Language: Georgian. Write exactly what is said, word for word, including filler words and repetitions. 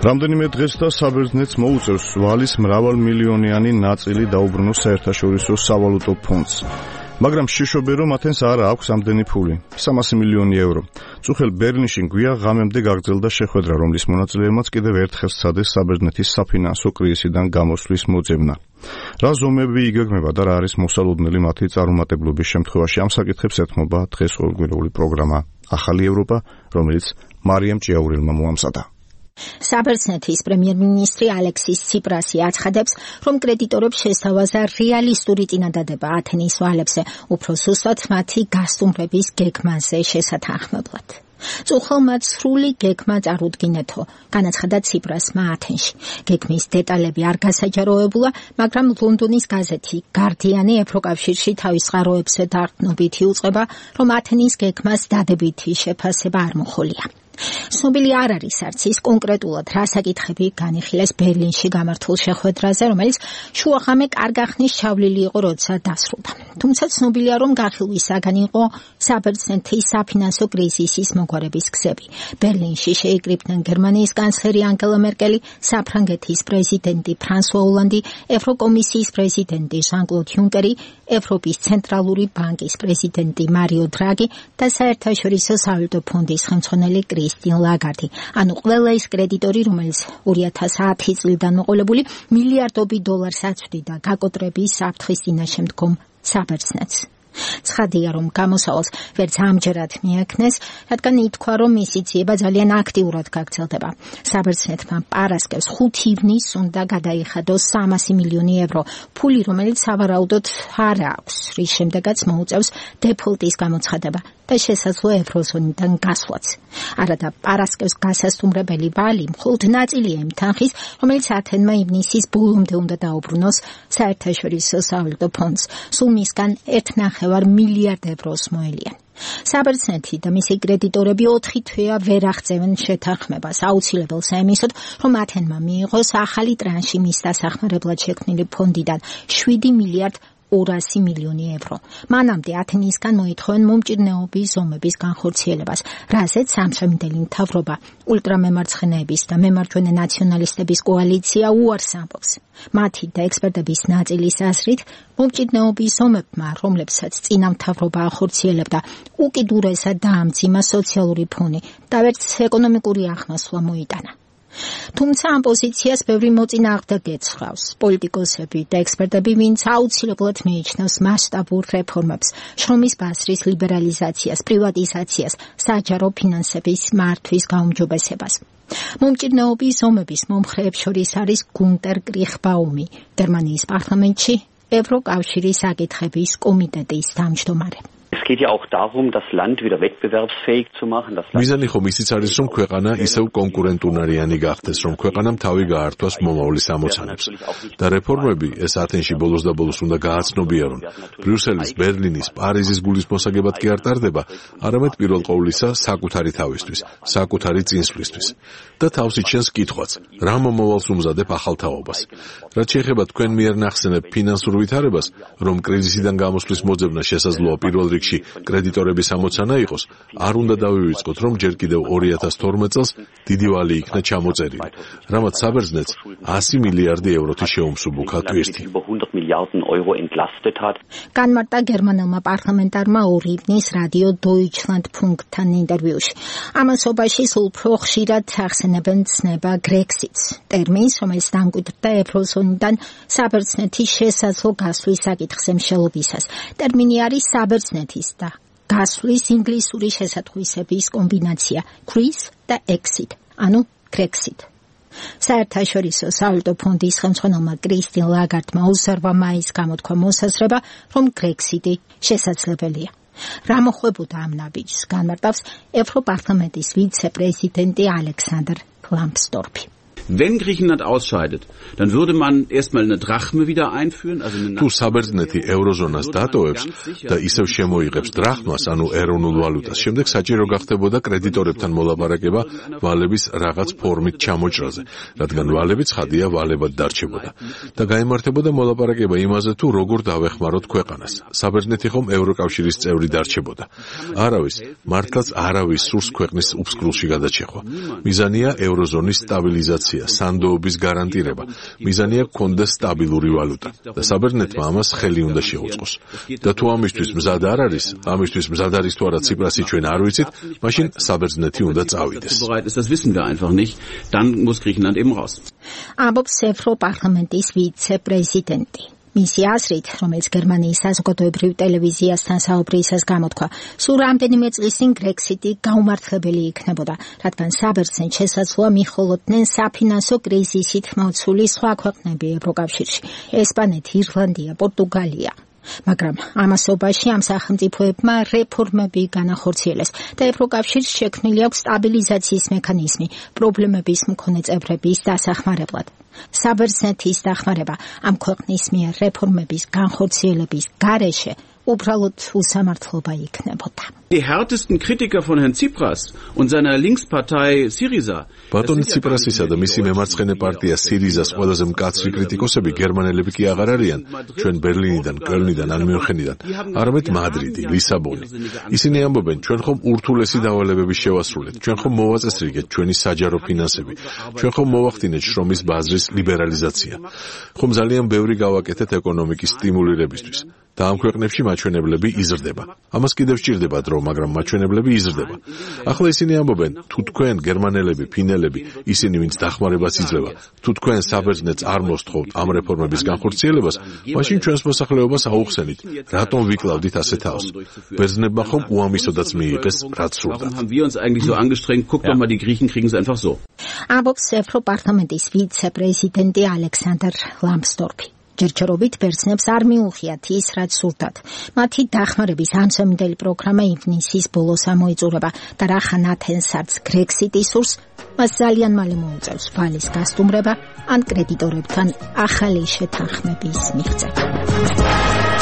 რამდენიმე დღეს და საბერძნეთს მოუწევს ვალის მრავალმილიონიანი ნაწილი დაუბრუნოს საერთაშორისო სავალუტო ფონდს. მაგრამ შიშობენ, რომ ათენს არ აქვს ამდენი ფული, სამასი მილიონი ევრო. წუხელ ბერლინში გვია ღამემდე გაგრძელდა შეხვედრა, რომლის მონაწილეებმაც კიდევ ერთხელ სცადეს საბერძნეთის საფინანსო კრიზისიდან გამოსვლის მოძებნა. რა ზომები იგეგმება და რა არის მოსალოდნელი მათი წარუმატებლობის შემთხვევაში, ამ საკითხებს ეთმობა დღეს ყოველკვირეული პროგრამა ახალი ევროპა, რომელიც მარიამ ჭიაურელმა მოამზადა. საბერძნეთის პრემიერ-მინისტრი ალექსის ციპრასი აცხადებს, რომ კრედიტორებს შესთავაზა რეალისტური წინადადება ათენის ვალებზე, უფრო ზუსტად მათი გასტუმრების გეგმაზე შესათანხმებლად. წუხელმა სრული გეგმა წარუდგინეთო, განაცხადა ციპრასმა ათენში. გეგმის დეტალები არ გასაჯაროებულა, მაგრამ ლონდონის გაზეთი გარდიანი ევროკავშირში თავის წყაროებზე დარწმუნებით იუწყება, რომ ათენის გეგმას დადებითი შეფასება არ მოხოლია. ცნობილი არ არის არც ის კონკრეტულად რა საკითხები განიხილეს ბერლინში გამართულ შეხვედრაზე, რომელიც შუაღამე კარგახნის ჩავლილი იყო, როცა დასრულდა. თუმცა ცნობილია, რომ განხილვის საგანი იყო საბერძნეთის საფინანსო კრიზისის მოგვარების გზები. ბერლინში შეიკრიბნენ გერმანიის კანცლერი ანგელა მერკელი, საფრანგეთის პრეზიდენტი ფრანსუა ოლანდი, ევროკომისიის პრეზიდენტი ჟან-კლოდ იუნკერი, ევროპის ცენტრალური ბანკის პრეზიდენტი მარიო დრაგი და საერთაშორისო სავალუტო ფონდის ხელმძღვანელი კრისტინ ლაგარდი. ანუ ყველა ის კრედიტორი, რომელიც ორი ათას ათი წლიდან მოყოლებული მილიარდობით დოლარს აწვდიდა გაკოტრების საფრთხის წინაშე მდგომ საბერძნეთს. ცხადია, რომ გამოსავალს ვერც ამჯერად მიექნეს, რადგან ითქვა, რომ მისი ძიება ძალიან აქტიურად გაგრძელდება. საბერძნეთმა პარასკევს ხუთი ივნის უნდა გადაიხადოს სამასი მილიონი ევრო, ფული, რომელიც სავარაუდოდ არ აქვს, რის შემდეგაც მოუწევს დეფოლტის გამოცხადება და შესაძლო ევროზონიდან გასვლაც. არადა პარასკევს გასასტუმრებელი ვალი მხოლოდ ნაწილია იმ თანხის, რომელიც ათენმა ივნისის ბოლომდე უნდა დაუბრუნოს საერთაშორისო სავალუტო ფონდს. სულ მისგან ერთ ნახევარ მილიარდ ევროს მოელიან. საბერძნეთი და მისი კრედიტორები ოთხი თვეა ვერ აღწევენ შეთანხმებას. აუცილებელს ემისოთ, რომ ათენმა მიიღოს ახალი ტრანში მის დასახმარებლად შექმნილი ფონდიდან შვიდი მილიარდ ორასი მილიონი ევრო. მანამდე ათენისგან მოითხოვენ მომჭირნეობის ზომების განხორციელებას, რაზეც სამშაბათელი მთავრობა, ულტრამემარცხენეების და მემარჯვენე ნაციონალისტების კოალიცია უარს ამბობს. მათი და ექსპერტების ნაწილის აზრით, მომჭირნეობის ზომებმა, რომლებსაც წინა მთავრობა ახორციელებდა, უკიდურესად დაამძიმა სოციალური ფონი და ვერც ეკონომიკური ახმასვლა მოიტანა. თუმცა ამ პოზიციას ბევრი მოწინააღმდეგე ეცხრავს. პოლიტიკოსები და ექსპერტები, ვინც აუცილებლად მიიჩნევს მასშტაბურ რეფორმებს, შრომის ბაზრის ლიბერალიზაციას, პრივატიზაციას, საჯარო ფინანსების მართვის გაუმჯობესებას. მომჭირნეობის ზომების მომხრეებს შორის არის გუნტერ კრიხბაუმი, გერმანიის პარლამენტში ევროკავშირის საკითხების კომიტეტის თავმჯდომარე. Es geht ja auch darum, das Land wieder wettbewerbsfähig zu machen. მიზანი ხომ ისიც არის, რომ ქვეყანა ისევ კონკურენტუნარიანი გახდეს, რომ ქვეყანამ თავი გაართვას მომავლის ამოცანებს. და რეფორმები ეს ათენში ბოლოს და ბოლოს უნდა გააცნობიარონ. ბრიუსელის, ბერლინის, პარიზის გულისმოსაგებად კი არ ტარდება, არამედ პირველ ყოვლისა საკუთარი თავისთვის, საკუთარი წინსვლისთვის. და თავს იჩენს კითხვაც, რა მომავალს უმზადებ ახალ თაობას. რაც შეეხება თქვენ მიერ ნახსენებ ფინანსურ ვითარებას, რომ კრიზისიდან გამოსვლის მოძებნა შესაძლოა პირველ რიგში კრედიტორების ამოცანა იყოს, არ უნდა დავივიწყოთ, რომ ჯერ კიდევ ორი ათას თორმეტ წელს დიდი ვალი იქნა ჩამოწერილი, რამაც საბერძნეთს ასი მილიარდი ევროთი შეუმსუბუქა ტვირთი. განმარტა გერმანელმა პარლამენტარმა ორი ივნის რადიო Deutschlandfunkთან ინტერვიუში. ამასობაში სულ უფრო ხშირად ახსენებენ ცნება გრექსიტს, ტერმინს, რომელიც დამკვიდრდა ევროზონიდან საბერძნეთის შესაძლო გასვლის საკითხზე მსჯელობისას. ტერმინი არის საბერძნეთის და გასვლის ინგლისური შესატყვისების კომბინაცია Greece და Exit, ანუ Grexit. საერთაშორისო სავალუტო ფონდის ხელმძღვანელმა კრისტინ ლაგარდმა ოცდაორი მაისს გამოთქვა მოსაზრება, რომ Grexit-ი შესაძლებელია. რა მოხდებოდა ამ ნაბიჯს, განმარტავს ევროპარლამენტის ვიცე-პრეზიდენტი ალექსანდრ ლამსდორფი. Wenn Griechenland ausscheidet, dann würde man erstmal eine Drachme wieder einführen, also eine თუ საბერძნეთი ევროზონას დატოვებს და ისევ შემოიღებს დრახმას, ანუ ეროვნულ ვალუტას, შემდეგ საჭირო გახდებოდა კრედიტორებთან მოლაპარაკება ვალების რაღაც ფორმით ჩამოჭრაზე, რადგან ვალები ცხადია ვალებად დარჩებოდა და გაიმართებოდა მოლაპარაკება იმაზე, თუ როგორ დავეხმაროთ ქვეყანას. საბერძნეთი ხომ ევროკავშირის წევრი დარჩებოდა. არავის, მართლაც არავის სურს ქვეყნის უფსკრულში გადაჭეხვა. მიზანია ევროზონის სტაბილიზაცია, სანდოობის გარანტირება. მიზანია გქონდეს სტაბილური ვალუტა და საბერძნეთმა ამას ხელი უნდა შეუწყოს. და თუ ამისთვის მზად არ არის, ამისთვის მზად არის თუ არა ციპრასი ჩვენ არ ვიცით, მაშინ საბერძნეთი უნდა წავიდეს. Das wissen wir einfach nicht. Dann muss Griechenland eben raus. ამბობს ევროპარლამენტის ვიცე-პრეზიდენტი. მისი აზრით, რომელიც გერმანიის საზოგადოებრივ ტელევიზიასთან საუბრისას გამოთქვა, სულ რამდენიმე წლის წინ გრექსიტი გაუმართლებელი იქნებოდა, რადგან საბერძნეთს შესაძლოა მიჰოლოდნენ საფინანსო კრიზისით მოცული სხვა ქვეყნები ევროკავშირში, ესპანეთი, ირლანდია, პორტუგალია. მაგრამ ამასობაში ამ სახელმწიფოებმა რეფორმები განახორციელეს და ევროკავშირს შექმნილი აქვს სტაბილიზაციის მექანიზმი პრობლემების მქონე წევრების დასახმარებლად. საბერძნეთის დახმარება ამ ქვეყნის მიერ რეფორმების განხორციელების გარეშე უბრალოდ უსამართლობა იქნებოდა. Die härtesten Kritiker von Herrn Tsipras und seiner Linkspartei Syriza. ბატონი ციპრასისა და მისი მემარცხენე პარტია სირიზას ყველაზე მკაცრი კრიტიკოსები გერმანელები კი აღარ არიან, ჩვენ ბერლინიდან, კელნიდან ან მიუნხენიდან, არამედ მადრიდი, ლისაბონი. ისინი ამბობენ, ჩვენ ხომ ურთულესი დავალებები შევასრულეთ, ჩვენ ხომ მოვაწესრიგეთ ჩვენი საჯარო ფინანსები, ჩვენ ხომ მოვახდინეთ შრომის ბაზრის ლიბერალიზაცია, ხომ ძალიან ბევრი გავაკეთეთ ეკონომიკის სტიმულირებისთვის. და ამ ქვეყნებში მაჩვენებლები იზრდება. ამას კიდევ სჭირდება დრო, მაგრამ მაჩვენებლები იზრდება. ახლა ისინი ამბობენ, თუ თქვენ გერმანელები, ფინელები, ისინი ვინც დახმარებას იძლევა, თუ თქვენ საბერძნეთს არ მოსთხოვთ ამ რეფორმების განხორციელებას, მაშინ ჩვენს მოსახლეობას აუხსენით. რატომ ვიკლავდით ასე თავს? ბერძნებმა ხომ უამისოდაც მიიღეს, რაც სურდათ. Haben wir uns eigentlich so angestrengt? Guck doch mal, die Griechen kriegen es einfach so. ამბობს ევროპარლამენტის ვიცე-პრეზიდენტი ალექსანდრ ლამსდორფი. ჯერჯერობით ბერძნებს არ მიუღიათ ის, რაც სურდათ. მათი დახმარების ამსამინდელი პროგრამა ივნისის ბოლოს ამოიწურება და რახან ათენს არც გრექსიტი სურს, მას ძალიან მალე მოუწევს ვალის გასტუმრება ან კრედიტორებთან ახალი შეთანხმების მიღწევა.